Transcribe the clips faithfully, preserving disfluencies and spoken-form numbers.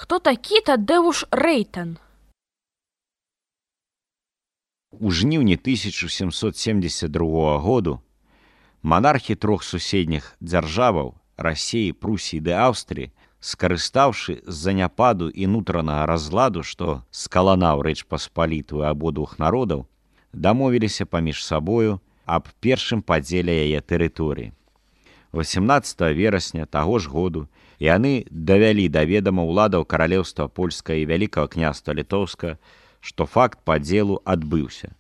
Хто такі Тадеуш Рэйтан? У жніўні тысяча сямсот семдзесят другога году манархі трох суседніх дзяржаваў Расіі, Прусіі ды Аўстрыі, скарыстаўшы з заняпаду і нутранага разладу, што скаланаў Рэч Паспалітую абодвух народаў, дамовіліся паміж сабою аб першым падзеле яе тэрыторыі. восемнаццатага верасня таго ж году яны давялі да ведама ўладаў каралеўства польскага і вялікага княства літоўскага, што факт падзелу адбыўся.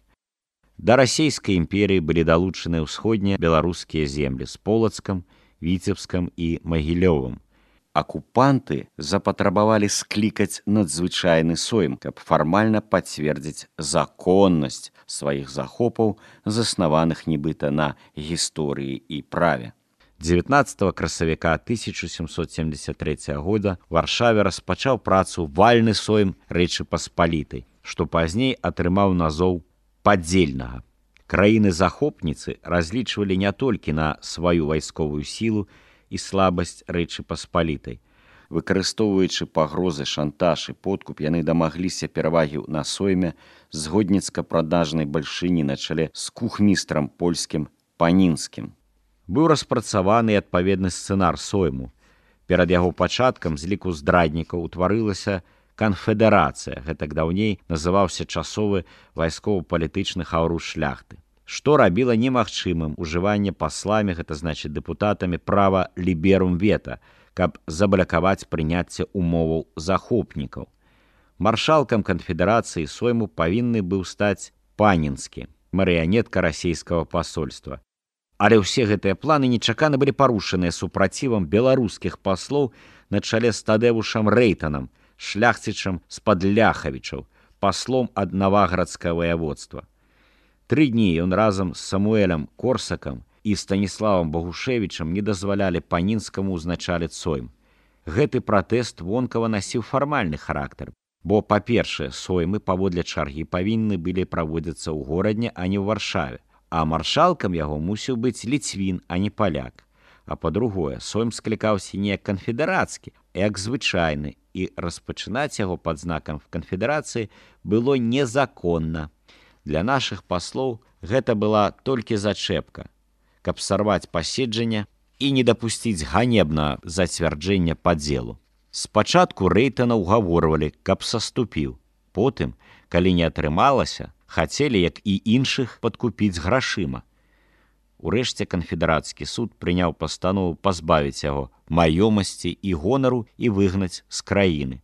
Да расійскай імперыі былі далучаны ўсходнія беларускія землі з Полацкам, Віцебскам і Магілёвым. Акупанты запатрабавалі склікаць надзвычайны сойм, каб фармальна пацвердзіць законнасць сваіх захопаў, заснаваных нібыта на гісторыі і праве. дзевятнаццатага красавіка тысяча сямсот семдзесят трэцяга года ў Варшаве распачаў працу вальны сойм Рэчы Паспалітай, што пазней атрымаў назоў падзельнага. Краіны-захопніцы разлічвалі не толькі на сваю вайсковую сілу і слабасць Рэчы Паспалітай. Выкарыстоўваючы пагрозы, шантаж і подкуп, яны дамагліся перавагі на сойме згодніцка-прадажнай бальшыні на чале з кухмістрам польскім Панінскім. Быў распрацаваны адпаведны сцэнар сойму. Перад яго пачаткам з ліку здраднікаў утварылася канфедэрацыя, гэтак даўней называўся часовы вайскова-палітычны хаўруш шляхты, што рабіла немагчымым ужыванне пасламі, гэта значыць дэпутатамі, права ліберум вета, каб заблакаваць прыняцце умоваў захопнікаў. Маршалкам канфедэрацыі сойму павінны быў стаць Панінскі, марыянетка расійскага пасольства. Але ўсе гэтыя планы нечакана былі парушаныя супрацівам беларускіх паслоў на чале з Тадеушам Рэйтанам, шляхцічам з-пад Ляхавічаў, паслом ад Наваградскага ваяводства. Тры дні ён разам з Самуэлем Корсакам і Станіславам Богушевічам не дазвалялі Панінскаму ўзначаліць сойм. Гэты пратэст вонкава насіў фармальны характар, бо, па-першае, соймы паводле чаргі павінны былі праводзіцца ў горадне, а не ў Варшаве, а маршалкам яго мусіў быць ліцвін, а не паляк. А па-другое, сойм склікаўся не як канфедэрацкі, а як звычайны, і распачынаць яго пад знакам канфедэрацыі было незаконна. Для нашых паслоў гэта была толькі зачэпка, каб сарваць паседжанне і не дапусціць ганебнага зацвярджэння падзелу. Спачатку Рэйтана ўгаворвалі, каб саступіў. Потым, калі не атрымалася, хацелі, як і іншых, падкупіць грашыма. Урэшце канфедэрацкі суд прыняў пастанову пазбавіць яго маёмасці і гонару і выгнаць з краіны.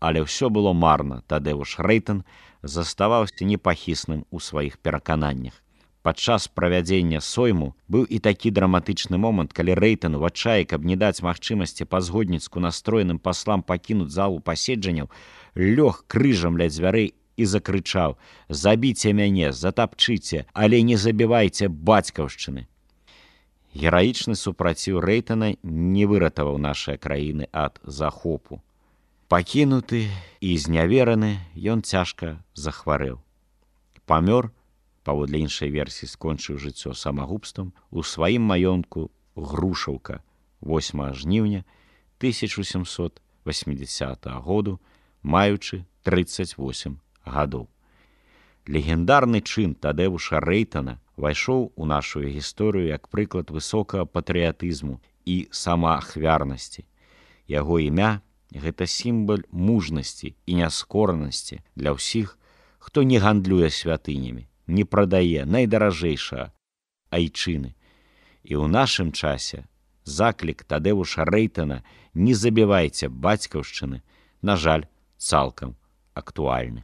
Але ўсё было марна, Тадеуш Рэйтан заставаўся непахісным у сваіх перакананнях. Падчас правядзення сойму быў і такі драматычны момант, калі Рэйтан у адчаі, каб не даць магчымасці па-згодніцку настроеным паслам пакінуць залу паседжанняў, лёг крыжам ля дзвярэй і закрычаў: «Забіце мяне, затапчыце, але не забівайце бацькаўшчыны». Гераічны супраціў Рэйтана не выратаваў нашыя краіны ад захопу. Пакінуты і знявераны, ён цяжка захварэў. Памёр, паводле іншай версіі скончыў жыццё самагубствам, у сваім маёнтку Грушаўка восьмага жніўня тысяча сямсот восьмідзесятага году, маючы трыццаць восем гадоў. Легендарны чын Тадеуша Рэйтана вайшоў у нашу гісторыю як прыклад высокага патрыятызму і самаахвярнасці. Яго імя – гэта сімвал мужнасці і няскоранасці для ўсіх, хто не гандлюе святынямі, не прадае найдаражэйшага айчыны. І ў нашым часе заклік Тадеуша Рэйтана «Не забівайце бацькаўшчыны», на жаль, цалкам актуальны.